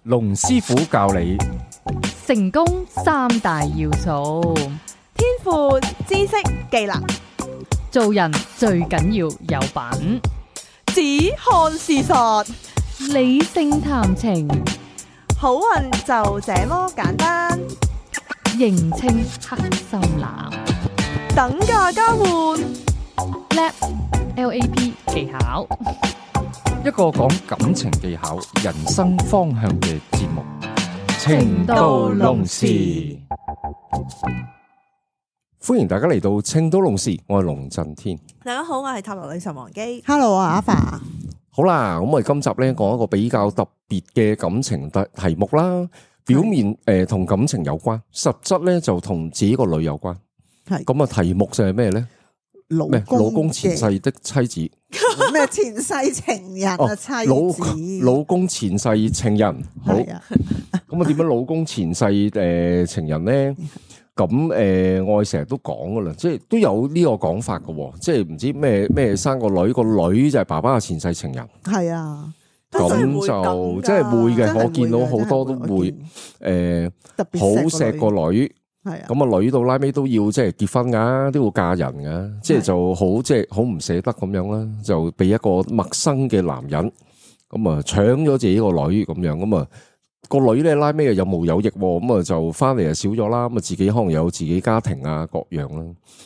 龍師傅教你成功三大要素，天賦、知識、技能，做人最緊要有品，只看事實，理性談情，好運就這麼簡單。認清黑心男，等價交換， LAP 技巧，一個講感情技巧、人生方向嘅節目《情到濃時》。歡迎大家嚟到《情到濃時》，我係龍震天。大家好，我係塔羅女神王姬。 Hello 啊，阿爸。好啦，咁我哋今集咧講一個比較特別嘅感情題目啦。表面同感情有關，實質咧就同自己個女有關。係咁啊，題目就係咩咧？老老公前世的妻子，咩前世情人啊？妻子，老公前世情人。好，係啊，咁啊點樣老公前世情人咧？咁我哋成日都講噶啦，即係都有呢個講法噶，即係唔知咩生個女，個女就係爸爸嘅前世情人。係啊，咁就即係會嘅，我見到好多都會特別好錫個女。係啊，咁啊女到拉尾都要即係結婚噶，都要嫁人噶，即係就好即係好唔捨得咁樣啦，就俾一個陌生嘅男人咁啊搶咗自己個女咁樣，咁啊個女咧拉尾又有毛有翼，咁啊就翻嚟就少咗啦，咁啊自己可能有自己家庭啊各樣啦，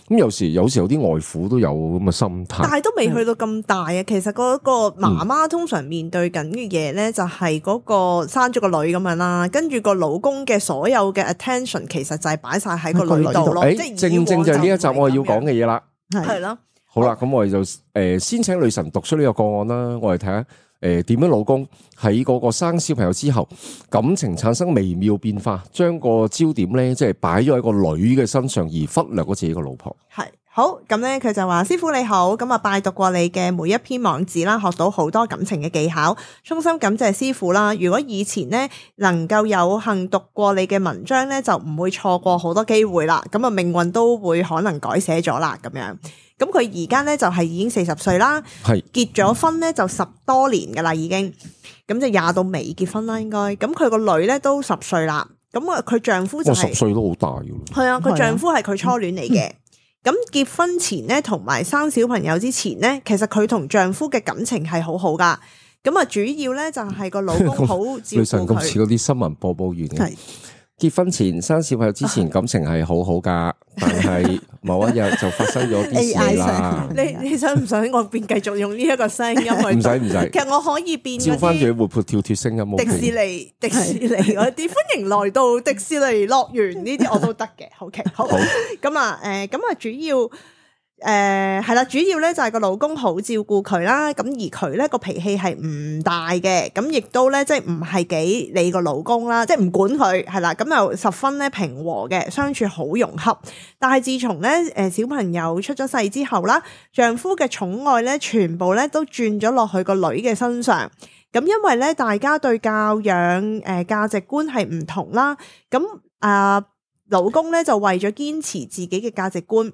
咁有時有啲外父都有咁嘅心態，但係都未去到咁大啊。其實嗰個媽媽通常面對緊嘅嘢咧，就係嗰個生咗個女咁樣啦，跟住個老公嘅所有嘅 attention 其實就係擺晒喺個女度咯。即係正正就係呢一集我哋要講嘅嘢啦。係咯。好啦，咁我哋就先請女神讀出呢個個案啦，我哋睇下點樣老公喺嗰個生小朋友之後，感情產生微妙變化，將個焦點咧即係擺咗喺個女嘅身上，而忽略咗自己個老婆。係好咁咧，佢就話：師傅你好，咁啊拜讀過你嘅每一篇網址啦，學到好多感情嘅技巧，衷心感謝師傅啦。如果以前呢能夠有幸讀過你嘅文章咧，就唔會錯過好多機會啦。咁啊命運都會可能改寫咗啦，咁樣。咁佢而家咧就係已經40歲啦，係結咗婚咧就10多年噶啦已經，咁就20到未結婚啦應該。咁佢個女咧都10歲啦，咁啊佢丈夫就係10歲都好大噶咯。係啊，佢丈夫係佢初戀嚟嘅。咁結婚前咧同埋生小朋友之前咧，其實佢同丈夫嘅感情係好好噶。咁啊主要咧就係個老公好照女神顧咁似佢。嗰啲新聞播報員嘅。係結婚前生小朋友之前感情係好好噶，但係某一日就發生咗啲事啦。你想唔想我變繼續用呢一個聲音去讀？唔使，其實我可以變照嗰啲翻住活潑跳脱聲音。迪士尼嗰啲，歡迎來到迪士尼樂園呢啲我都得嘅。OK，好咁啊，咁啊主要。係啦，主要咧就係個老公好照顧佢啦，咁而佢咧個脾氣係唔大嘅，咁亦都咧即係唔係幾理個老公啦，即係唔管佢係啦，咁又十分咧平和嘅，相處好融洽。但係自從咧小朋友出咗世之後啦，丈夫嘅寵愛咧全部咧都轉咗落去個女嘅身上。咁因為咧大家對教養價值觀係唔同啦，咁老公咧就為咗堅持自己嘅價值觀。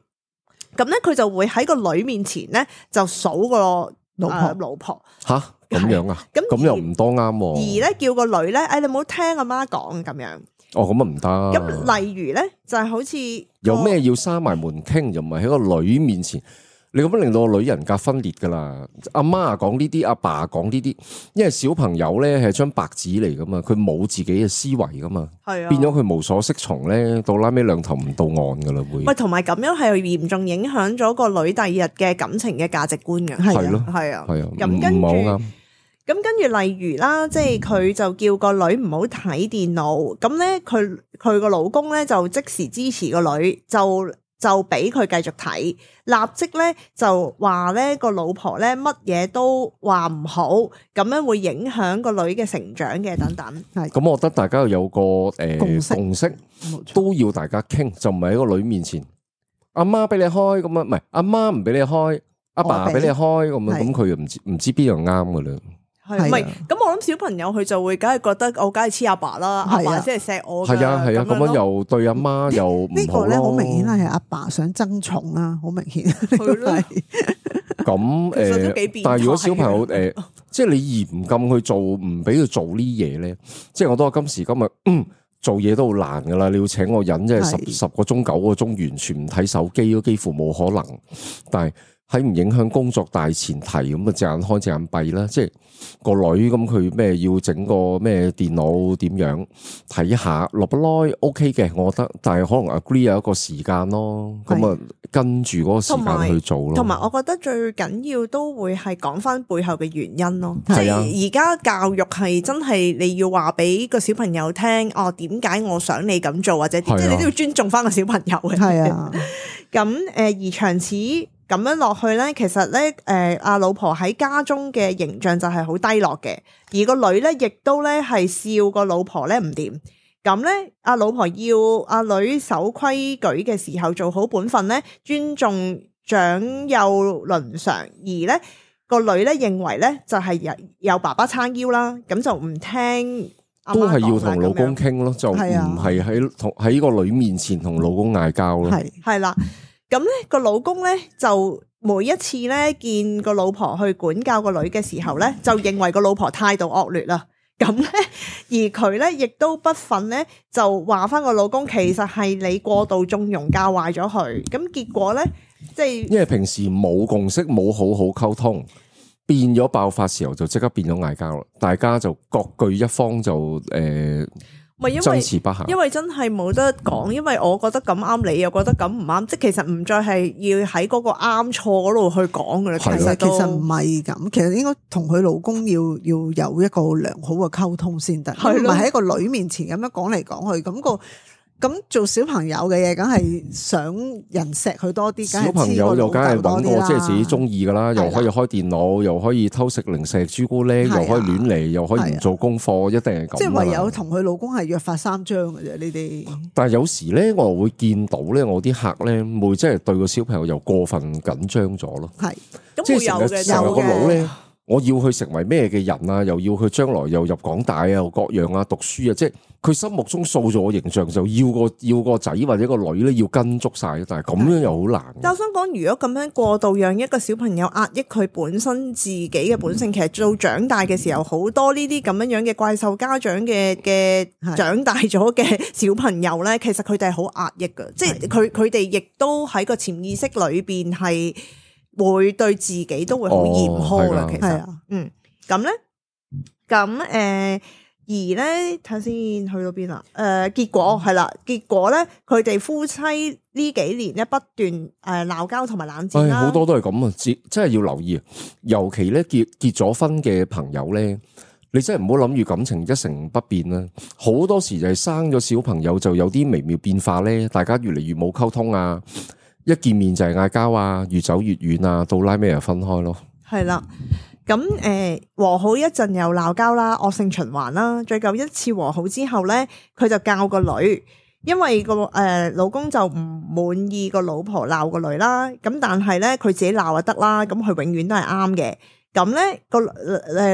咁咧，佢就會喺個女面前咧就數個老婆吓咁樣啊？咁又唔多啱喎。而咧叫個女咧，你唔好聽阿媽講咁樣。哦，咁啊唔得。咁例如咧，就係好似有咩要閂埋門傾，又唔係喺個女面前。你咁樣令到個女人格分裂噶啦，阿媽啊講呢啲，阿爸啊講呢啲，因為小朋友咧係張白紙嚟噶嘛，佢冇自己嘅思維噶嘛，係啊，變咗佢無所適從咧，到拉尾兩頭唔到岸噶啦會。喂，同埋咁樣係嚴重影響咗個女第二日嘅感情嘅價值觀嘅，係咯，係啊，係啊，咁跟住唔好啱。咁跟住例如啦，即係佢就叫個女唔好睇電腦，咁咧佢個老公咧就即時支持個女就俾佢繼續睇，立即咧就話咧個老婆咧乜嘢都話唔好，咁樣會影響個女嘅成長嘅等等。係咁我覺得大家有個共識，冇錯，都要大家傾，就唔係喺個女面前，阿媽俾你開咁啊，唔係阿媽唔俾你開，阿爸俾你開咁啊，咁佢又唔知邊樣啱噶啦。係唔係？咁我諗小朋友佢就會梗係覺得我梗係黐阿爸啦，阿爸先係錫我㗎。係啊，咁樣又對阿媽又唔好咯。呢個咧好明顯係阿爸想爭寵啦，好明顯。係咯。咁其實都幾變態但係如果小朋友即係你嚴禁去做，唔俾佢做呢嘢咧。即係我都話今時今日，做嘢都好難噶啦。你要請個人，即係十個鐘9個鐘完全唔睇手機，都幾乎冇可能。但係喺唔影響工作大前提咁啊，隻眼開隻眼閉啦。即係個女咁佢咩要整個咩電腦點樣睇下，落不耐 OK 嘅，我覺得。但係可能 agree 有一個時間咯，咁啊跟住嗰個時間去做咯。同埋我覺得最緊要都會係講翻背後嘅原因咯。即係啊，係而家教育係真係你要話俾個小朋友聽，哦點解我想你咁做，或者即係你都要尊重翻個小朋友嘅。係啊，咁而長此咁樣落去咧，其實咧，阿老婆喺家中嘅形象就係好低落嘅，而個女咧亦都咧係笑個老婆咧唔掂，咁咧阿老婆要阿女守規矩嘅時候做好本分咧，尊重長幼倫常，而咧個女咧認為咧就係有爸爸撐腰啦，咁就唔聽阿媽講啦，都係要同老公傾咯，就唔係喺個女面前同老公嗌交咯，係啦。咁咧個老公咧就每一次咧見個老婆去管教個女嘅時候咧，就認為個老婆態度惡劣啦。咁咧而佢咧亦都不忿咧，就話翻個老公其實係你過度縱容教壞咗佢。咁結果咧即係因為平時冇共識冇好好溝通，變咗爆發時候就即刻變咗嗌交啦。大家就各據一方就爭持不下，因為真係冇得講，因為我覺得咁啱，你又覺得咁唔啱，即係其實唔再係要喺嗰個啱錯嗰度去講噶啦。其實唔係咁，其實應該同佢老公要有一個良好嘅溝通先得，唔係喺個女面前咁樣講嚟講去咁做小朋友嘅嘢，梗係想人錫佢多啲。小朋友又梗係揾個即係自己中意噶啦，又可以開電腦，又可以偷食零食朱古力，又可以亂嚟，又可以唔做功課，一定係咁。即係唯有同佢老公係約法三章嘅啫，呢啲。但係有時咧，我又會見到咧，我啲客咧會即係對個小朋友又過分緊張咗咯。係，即係成日個腦咧，我要佢成為咩嘅人啊？又要佢將來又入港大啊，又各樣啊，讀書啊，即係。佢心目中塑造嘅形象就要個仔或者個女咧要跟足晒，但係咁樣又好難。但我想講，如果咁樣過度讓一個小朋友壓抑佢本身自己嘅本性，其實到長大嘅時候，好多呢啲咁樣嘅怪獸家長嘅長大咗嘅小朋友咧，其實佢哋係好壓抑㗎，即係佢哋亦都喺個潛意識裏邊係會對自己都會好嚴苛㗎。其實，咁咧，而咧睇先去到邊啦？結果係啦，結果咧佢哋夫妻呢幾年咧不斷鬧交同埋冷戰啦。好多都係咁啊！真係要留意啊！尤其咧結咗婚嘅朋友咧，你真係唔好諗住感情一成不變啦。好多時就係生咗小朋友就有啲微妙變化咧，大家越嚟越冇溝通啊！一見面就係嗌交啊，越走越遠啊，到拉尾又分開咯。係啦。咁和好一陣又鬧交啦，惡性循環啦。最後一次和好之後咧，佢就教個女，因為個老公就唔滿意個老婆鬧個女啦。咁但係咧佢自己鬧就得啦，咁佢永遠都係啱嘅。咁咧個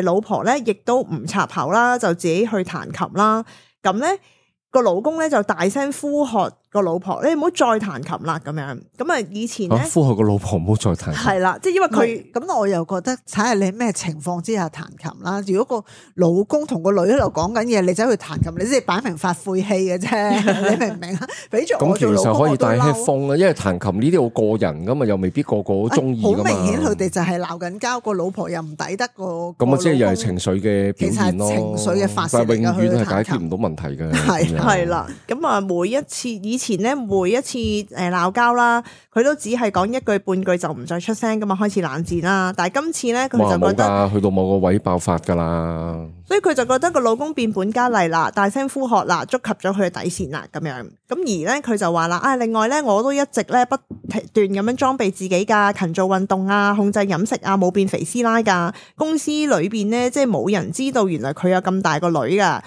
老婆咧亦都唔插口啦，就自己去彈琴啦。咁咧個老公咧就大聲呼喝個老婆，你唔好再彈琴啦咁樣。咁啊以前咧呼喝個老婆唔好再彈琴，係啦，即係因為佢咁，我又覺得睇下你咩情況之下彈琴啦。如果個老公同個女喺度講緊嘢，你走去彈琴，你即係擺明發晦氣嘅啫，你明唔明啊？俾咗我做老公，咁其實可以帶 headphone 啊，因為彈琴呢啲好個人噶嘛，又未必個個都中意噶嘛。好明顯佢哋就係鬧緊交，個老婆又唔抵得個咁啊，即係又係情緒嘅表現咯，情緒嘅發泄，但係永遠係解決唔到問題嘅。係啦，咁啊每一次以前咧每一次鬧交啦，佢都只係講一句半句就唔再出聲噶嘛，開始冷戰啦。但係今次咧佢就覺得去到某個位爆發噶啦，所以佢就覺得個老公變本加厲啦，大聲呼喝啦，觸及咗佢嘅底線啦咁樣。咁而咧佢就話啦，另外咧我都一直咧不斷咁樣裝備自己噶，勤做運動啊，控制飲食啊，冇變肥師奶噶。公司裏邊咧即係冇人知道原來佢有咁大個女噶。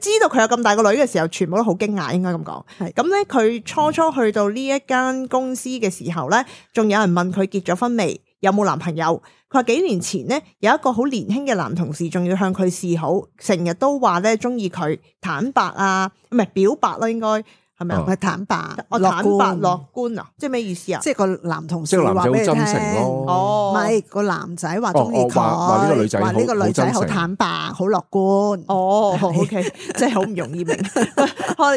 知道佢有咁大個女嘅時候，全部都好驚訝，應該咁講。係咁咧，佢初初去到呢一間公司嘅時候咧，仲有人問佢結咗婚未，有冇男朋友。佢話幾年前咧，有一個好年輕嘅男同事，仲要向佢示好，成日都話咧中意佢，坦白啊，唔係表白啦，應該係係咪啊？係坦白，我坦白樂觀啊，即係咩意思啊？即係個男同事即係個男仔好話俾你聽真誠咯哦唔係個男仔話中意佢，話呢個女仔話呢個女仔好好真誠坦白，好樂觀。哦，OK，真係好唔容易明。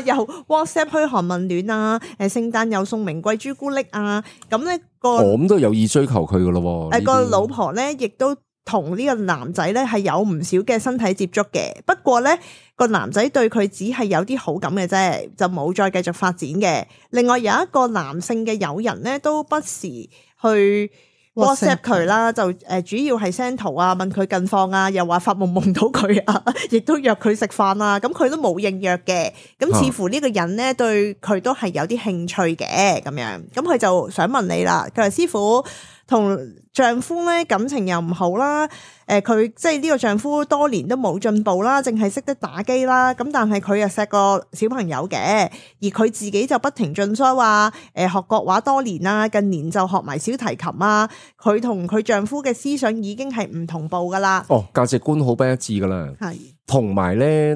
又 WhatsApp 噓寒問暖啊，聖誕又送名貴朱古力啊，咁咧我咁都有意追求佢噶咯。個老婆咧亦都同呢個男仔咧係有唔少嘅身體接觸嘅，不過咧個男仔對佢只係有啲好感嘅啫，就冇再繼續發展嘅。另外有一個男性嘅友人咧，都不時去 WhatsApp 佢啦，就主要係 send 圖啊，問佢近況啊，又話發夢夢到佢啊，亦都約佢食飯啊，咁佢都冇應約嘅。咁似乎呢個人咧對佢都係有啲興趣嘅咁樣，咁佢就想問你啦，佢話師傅同丈夫咧感情又唔好啦，佢即係呢個丈夫多年都冇進步啦，淨係識得打機啦，咁但係佢又錫個小朋友嘅，而佢自己就不停進修啊，學國話多年啦，近年就學埋小提琴啊，佢同佢丈夫嘅思想已經係唔同步噶啦。哦，價值觀好不一致噶啦，係同埋咧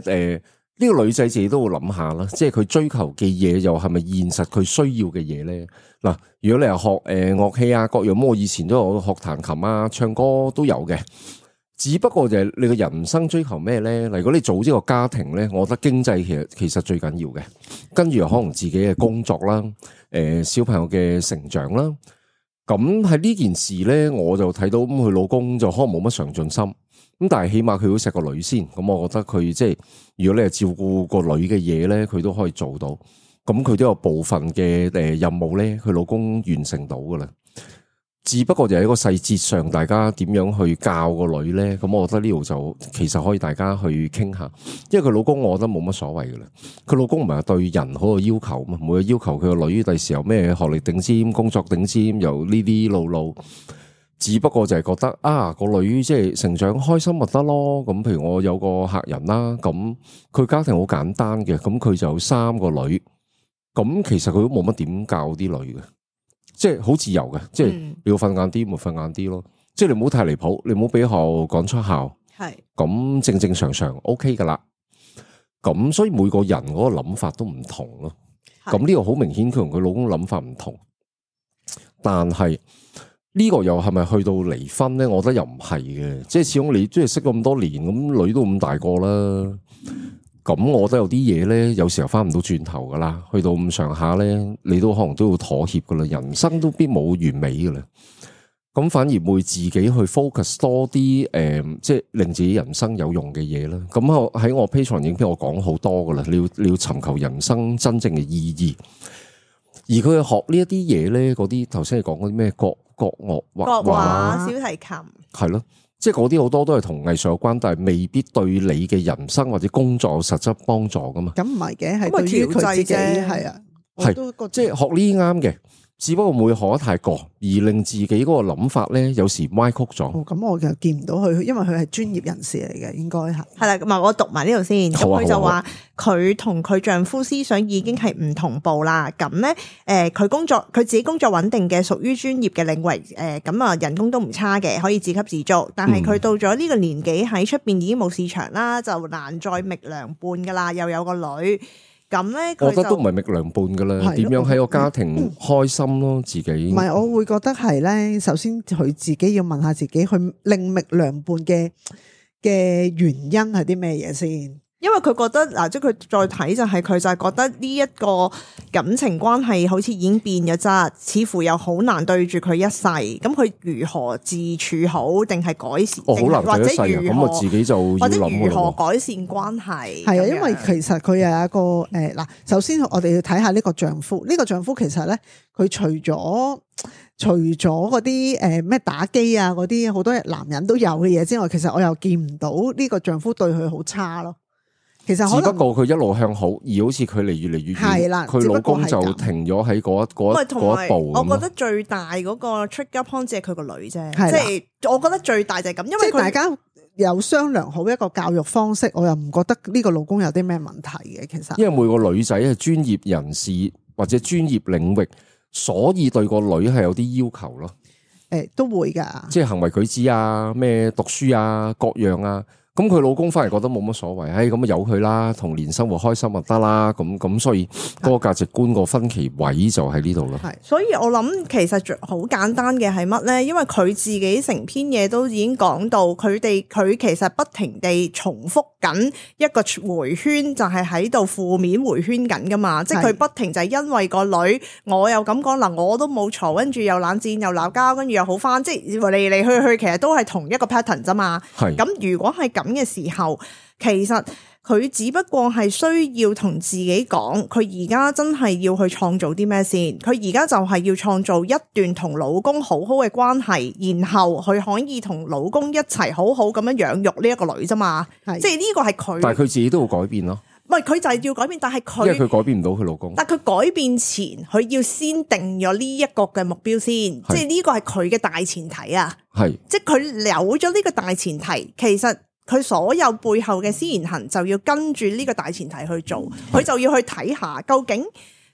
呢個女仔自己都會諗下啦，即係佢追求嘅嘢又係咪現實佢需要嘅嘢咧？嗱，如果你係學樂器啊各樣，咁我以前都有學彈琴啊、唱歌都有嘅，只不過就係你個人生追求咩咧？如果你組織個家庭咧，我覺得經濟其實最緊要嘅，跟住可能自己嘅工作啦、小朋友嘅成長啦，咁喺呢件事咧，我就睇到咁佢老公就可能冇乜上進心。咁但係起碼佢都錫個女先，咁我覺得佢即係如果你係照顧個女嘅嘢咧，佢都可以做到。咁佢都有部分嘅任務咧，佢老公完成到噶啦。只不過就喺個細節上，大家點樣去教個女咧？咁我覺得呢度就其實可以大家去傾下。因為佢老公我覺得冇乜所謂噶啦。佢老公唔係對人好有要求嘛，冇要求佢個女第時有咩學歷頂尖、工作頂尖，又呢啲路。只不過就係覺得啊，個女即係成長開心咪得咯。咁譬如我有個客人啦，咁佢家庭好簡單嘅，咁佢就有3個女，咁其實佢都冇乜點教啲女嘅，即係好自由嘅，即係你要瞓晏啲咪瞓晏啲咯，即係你唔好太離譜，你唔好俾學校趕出校，係咁正正常常 OK 噶啦。咁所以每個人嗰個諗法都唔同咯。咁呢個好明顯佢同佢老公諗法唔同，但係。呢個又係咪去到離婚咧？我覺得又唔係嘅，即係始終你即係識咁多年，咁女都咁大個啦，咁我覺得有啲嘢咧，有時候翻唔到轉頭噶啦，去到咁上下咧，你都可能都要妥協噶啦，人生都必冇完美噶啦，咁反而會自己去 focus 多啲即係令自己人生有用嘅嘢啦。咁我喺我 Patreon 影片我講好多噶啦，你要尋求人生真正嘅意義，而佢學呢一啲嘢咧，嗰啲頭先你講嗰啲咩國樂畫小提琴係咯，即係嗰啲好多都係同藝術有關，但係未必對你嘅人生或者工作有實質幫助噶嘛。咁唔係嘅，係對於佢自己係啊，係即係學呢啲啱嘅，只不過唔會學得太過，而令自己嗰個諗法咧有時歪曲咗。哦，咁我就見唔到佢，因為佢係專業人士嚟嘅，應該係啦。咁啊，我讀埋呢度先。咁佢就話佢同佢丈夫思想已經係唔同步啦。咁咧，佢自己工作穩定嘅，屬於專業嘅領域。咁啊，人工都唔差嘅，可以自給自足。但係佢到咗呢個年紀喺出邊已經冇市場啦，就難再覓良伴噶啦，又有個女。咁咧，我覺得都唔係覓良伴噶啦，點樣喺個家庭開心咯，自己。唔係，我會覺得係咧，首先佢自己要問下自己，去另覓良伴嘅原因係啲咩嘢先？因為佢覺得嗱，即係佢再睇就係佢就係覺得呢一個感情關係好似已經變咗質，似乎又好難對住佢一世。咁佢如何自處好，定係改善？好難對一世啊！咁我自己就要諗或者如何改善關係？係啊，因為其實佢有一個嗱，首先我哋要睇下呢個丈夫。呢個丈夫其實咧，佢除咗嗰啲咩打機啊嗰啲好多男人都有嘅嘢之外，其實我又見唔到呢個丈夫對佢好差咯。其實只不過佢一路向好，而好似佢離越嚟越遠，係啦，佢老公就停咗喺嗰一步。我覺得最大嗰個 trigger point 係佢個女啫，即係我覺得最大就係咁，因為大家有商量好一個教育方式，我又唔覺得呢個老公有啲咩問題嘅。其實因為每個女仔係專業人士或者專業領域，所以對個女係有啲要求咯。都會噶，即係行為舉止啊，咩讀書啊，各樣啊。咁咁佢老公反而覺得冇乜所謂，咁啊由佢啦，童年生活開心就得啦。咁所以嗰個價值觀個分歧位就喺呢度咯。係，所以我諗其實好簡單嘅係乜咧？因為佢自己成篇嘢都已經講到，佢其實不停地重複緊一個迴圈，就係喺度負面迴圈緊噶嘛。即係佢不停就係因為個女，我又咁講嗱，我都冇嘈，跟住又冷戰又鬧交，跟住又好翻，即係嚟嚟去去，其實都係同一個 pattern 啫嘛。係咁如果係咁嘅時候，其實佢只不過係需要同自己講，佢而家真係要去創造啲咩先？佢而家就係要創造一段同老公好好嘅關係，然後佢可以同老公一齊好好咁樣養育呢一個女啫嘛。即係呢個係佢，但係佢自己都要改變咯。唔係佢就係要改變，但係佢因為佢改變唔到佢老公。但佢改變前，佢要先定咗呢一個嘅目標先，即係呢個係佢嘅大前提啊。係，即係佢有咗呢個大前提，其實佢所有背後嘅思言行就要跟住呢個大前提去做，佢就要去睇下究竟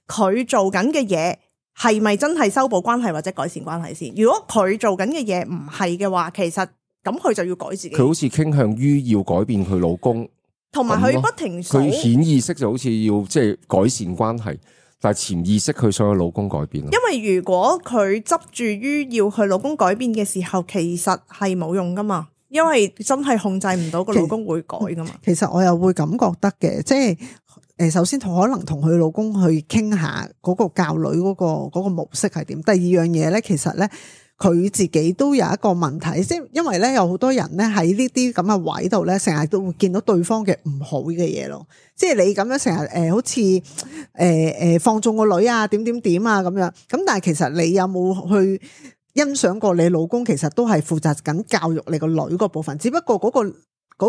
佢做緊嘅嘢係咪真係修補關係或者改善關係先。如果佢做緊嘅嘢唔係嘅話，其實咁佢就要改自己。佢好似傾向於要改變佢老公。同埋佢不停佢顯意識就好似要即係改善關係，但係潛意識佢想佢老公改變。因為如果佢執住於要佢老公改變嘅時候，其實係冇用噶嘛，因為真係控制唔到個老公會改噶嘛。其實我又會咁覺得嘅，即係首先可能同佢老公去傾下嗰個教女嗰個模式係點。第二樣嘢咧，其實咧。佢自己都有一個問題，即係因為咧有好多人咧喺呢啲咁嘅位度咧，成日都會見到對方嘅唔好嘅嘢咯。即係你咁樣成日好似放縱個女啊，點啊咁樣。咁但係其實你有冇去欣賞過你老公其實都係負責緊教育你個女嗰部分，只不過嗰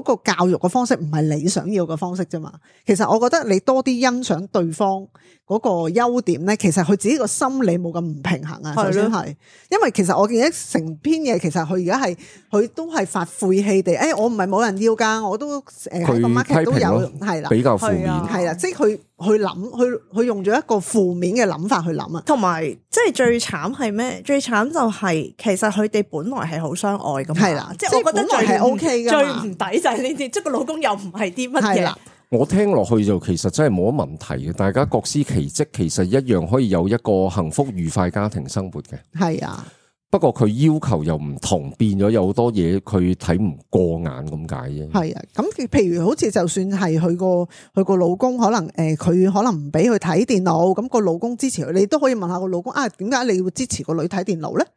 個教育嘅方式唔係你想要嘅方式啫嘛。其實我覺得你多啲欣賞對方嗰個優點咧，其實佢自己個心理冇咁唔平衡啊。首先係，因為其實我見一成篇嘢，其實佢而家係佢都係發晦氣地，我唔係冇人要㗎，我都喺個 market 都有，係啦，比較負面，係啦，即係佢諗，佢用咗一個負面嘅諗法去諗啊。同埋即係最慘係咩？最慘就係其實佢哋本來係好相愛㗎嘛，係啦，即係我覺得係 OK 㗎，最唔抵就係呢啲，即係個老公又唔係啲乜嘢。我聽落去就其實真係冇乜問題嘅，大家各司其職，其實一樣可以有一個幸福愉快家庭生活嘅。係啊，不過佢要求又唔同，變咗有好多嘢佢睇唔過眼咁解啫。係啊，咁譬如好似就算係佢個老公可能佢可能唔俾佢睇電腦，咁個老公支持佢，你都可以問下個老公啊，點解你要支持個女睇電腦咧？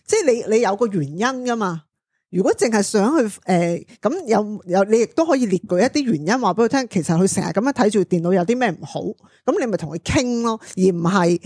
即係你有個原因噶嘛。如果淨係想去咁有你亦都可以列舉一啲原因話俾佢聽，其實佢成日咁樣睇住電腦有啲咩唔好，咁你咪同佢傾咯，而唔係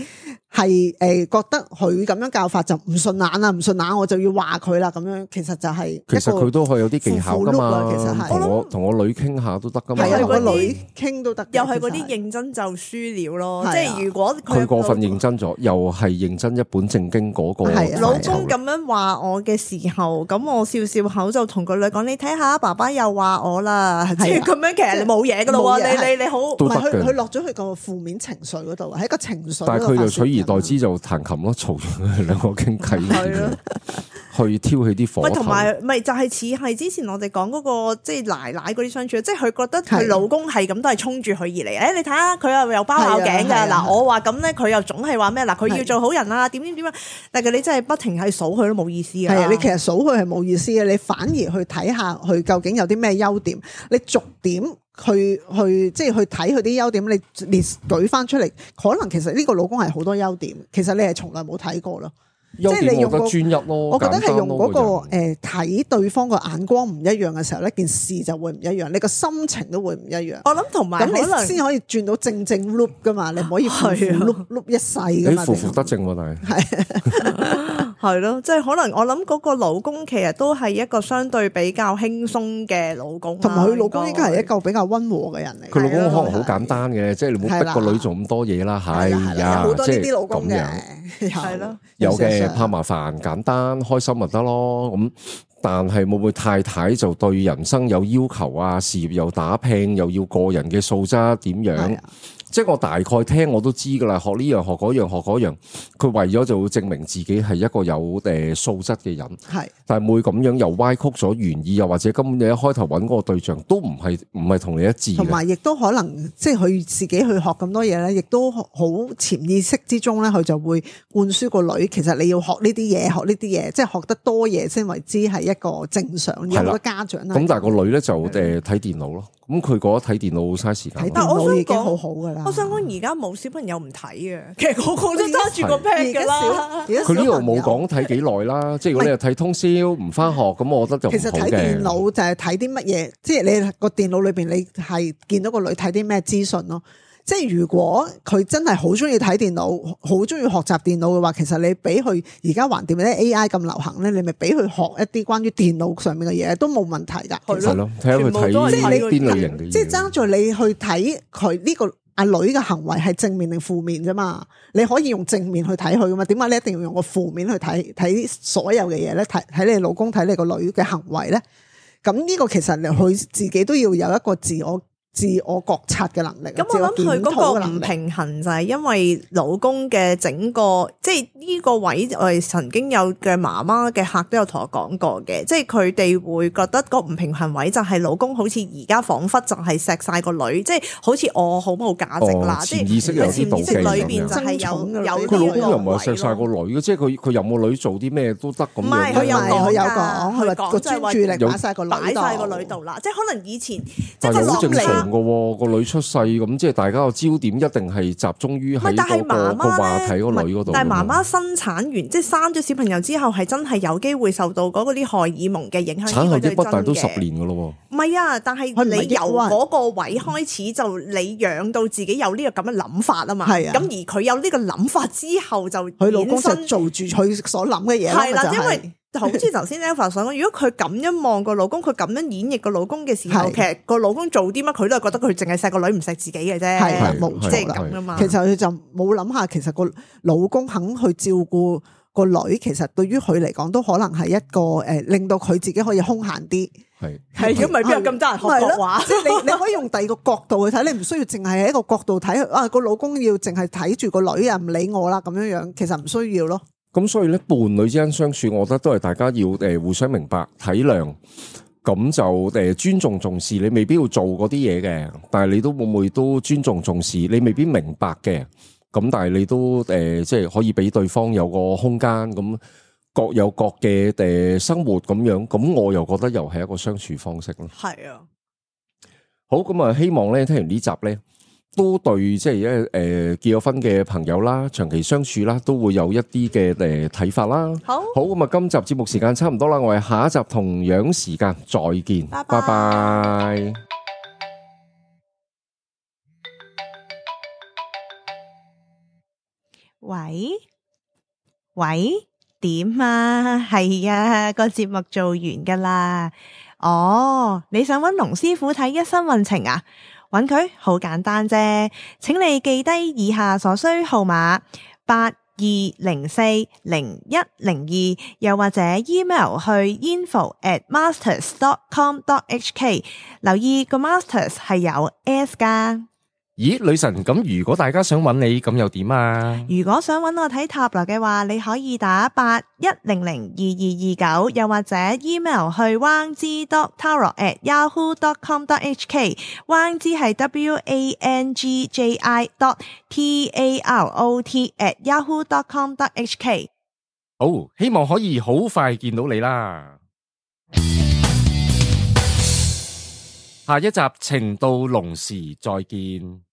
覺得佢咁樣教法就唔順眼啦，唔順眼我就要話佢啦，咁樣其實就係其實佢都可以有啲技巧噶嘛，其實係同我女傾下都得噶嘛，係啊，同個女傾都得，又係嗰啲認真就輸了咯，即係如果佢過分認真咗，又係認真一本正經嗰個老公咁樣話我嘅時候，咁我笑笑口就同個女講：你睇下，爸爸又話我啦，即係咁樣，其實你冇嘢噶咯，你好，唔係佢落咗去個負面情緒嗰度，喺個情緒。但係佢就取而代之就彈琴咯，嘈住佢兩個傾偈，去挑起啲火頭。同埋咪就係似係之前我哋講嗰個即係奶奶嗰啲相處，即係佢覺得佢老公係咁都係衝住佢而嚟。你睇下佢又包拗頸㗎嗱，我話咁咧，佢又總係話咩嗱？佢要做好人啊，點啊？但係你真係不停係數佢都冇意思㗎。係啊，你其實數佢係冇意思嘅，你反而去睇下佢究竟有啲咩優點，你逐點去即係去睇佢啲優點，你列舉翻出嚟，可能其實呢個老公係好多優點，其實你係從來冇睇過咯。即係你用個專一咯，我覺得係用嗰個睇對方個眼光唔一樣嘅時候，呢件事就會唔一樣，你個心情都會唔一樣。我諗同埋咁你先可以轉到正 loop 噶嘛，你唔可以負 loop 一世噶嘛。你負得正喎，但係係咯，即係可能我諗嗰個老公其實都係一個相對比較輕鬆嘅老公，同埋佢老公應該係一個比較溫和嘅人嚟。佢老公可能好簡單嘅，即係你唔好逼個女做咁多嘢啦。係呀，好多呢啲老公嘅，係咯，有嘅怕麻煩，簡單開心咪得咯。咁但係會唔會太太就對人生有要求啊？事業又打拼，又要個人嘅素質點樣？即係我大概聽我都知噶啦，學呢樣學嗰樣學嗰樣，佢為咗就會證明自己係一個有素質嘅人，係，但係會咁樣又歪曲咗原意，又或者根本你一開頭揾嗰個對象都唔係同你一致嘅，同埋亦都可能即係佢自己去學咁多嘢咧，亦都好潛意識之中咧，佢就會灌輸個女，其實你要學呢啲嘢，學呢啲嘢，即係學得多嘢先為之係一個正常。有好多家長啦，咁但係個女咧就睇電腦咯。咁佢覺得睇電腦嘥時間，睇電腦已經好好噶啦。我想講而家冇小朋友唔睇嘅，其實個個都揸住個 pad 噶啦。佢呢度冇講睇幾耐啦，即係如果你係睇通宵唔翻學，咁我覺得就唔好嘅。其實睇電腦就係睇啲乜嘢，即係你個電腦裏邊你係見到個女睇啲咩資訊咯。即係如果佢真係好中意睇電腦，好中意學習電腦嘅話，其實你俾佢而家橫掂咧 AI 咁流行咧，你咪俾佢學一啲關於電腦上面嘅嘢都冇問題㗎。係咯，睇下佢睇即係你邊類型嘅嘢。即係爭在你去睇佢呢個阿女嘅行為係正面定負面啫嘛。你可以用正面去睇佢㗎嘛？點解你一定要用個負面去睇所有嘅嘢咧？睇你老公睇你個女嘅行為咧？咁呢個其實佢自己都要有一個自我覺察嘅能力。咁我諗佢嗰個唔平衡就係因為老公嘅整個，即係呢個位我哋曾經有嘅媽媽嘅客都有同我講過嘅，即係佢哋會覺得個唔平衡位就係老公好似而家彷彿就係錫晒個女，即係好似我好冇價值啦，即係潛意識有啲妒忌裏邊就係有佢老公又唔係錫晒個女嘅，即係佢任個女做啲咩都得咁樣。唔係佢有講，佢話個專注力擺晒個女度啦，即係可能以前即係好正常。個女出世咁，即係大家個焦點一定係集中於喺嗰個話題個女嗰度。但係媽媽生產完，即係生咗小朋友之後，係真係有機會受到嗰啲荷爾蒙嘅影響。產後抑鬱大都10年噶咯。唔係啊，但係你由嗰個位開始就你養到自己有呢個咁嘅諗法啊嘛。係啊。咁而佢有呢個諗法之後，就佢老公就做住佢所諗嘅嘢。係啦，因為。好似頭先 Alpha 所講，如果佢咁樣望個老公，佢咁樣演繹個老公嘅時候，其實個老公做啲乜，佢都係覺得佢淨係錫個女唔錫自己嘅啫，係冇即係咁啊嘛。其實佢就冇諗下，其實個老公肯去照顧個女，其實對於佢嚟講都可能係一個令到佢自己可以空閒啲。係如果唔係邊有咁多人學國話？即係你可以用第二個角度去睇，你唔需要淨係喺一個角度睇啊個老公要淨係睇住個女啊唔理我啦咁樣樣，其實唔需要咯。咁所以咧，伴侶之間相處，我覺得都係大家要互相明白、體諒，咁就尊重、重視。你未必要做嗰啲嘢嘅，但係你都會唔會都尊重、重視？你未必明白嘅，咁但係你都即係可以俾對方有個空間，咁各有各嘅生活咁樣，咁我又覺得又係一個相處方式咯。係啊，好咁啊，希望咧聽完呢集咧。都對，即係結咗婚嘅朋友啦，長期相處啦，都會有一啲嘅睇法啦。好咁啊，今集節目時間差唔多啦，我哋下一集同樣時間再見，拜拜。喂，點啊？係啊，個節目做完噶啦。哦，你想揾龍師傅睇一生運程啊？揾佢好簡單啫，請你記低以下所需號碼82040102，又或者 email 去 info@masters.com.hk， 留意個 masters 係有 S 噶。咦，女神，咁如果大家想揾你，咁又點啊？如果想揾我睇塔羅嘅話，你可以打81002229，又或者 email 去 wangzi.tarot@yahoo.com.hk， wangzi 係 wangji.tarot@yahoo.com.hk。好，希望可以好快見到你啦。下一集情到濃時再見。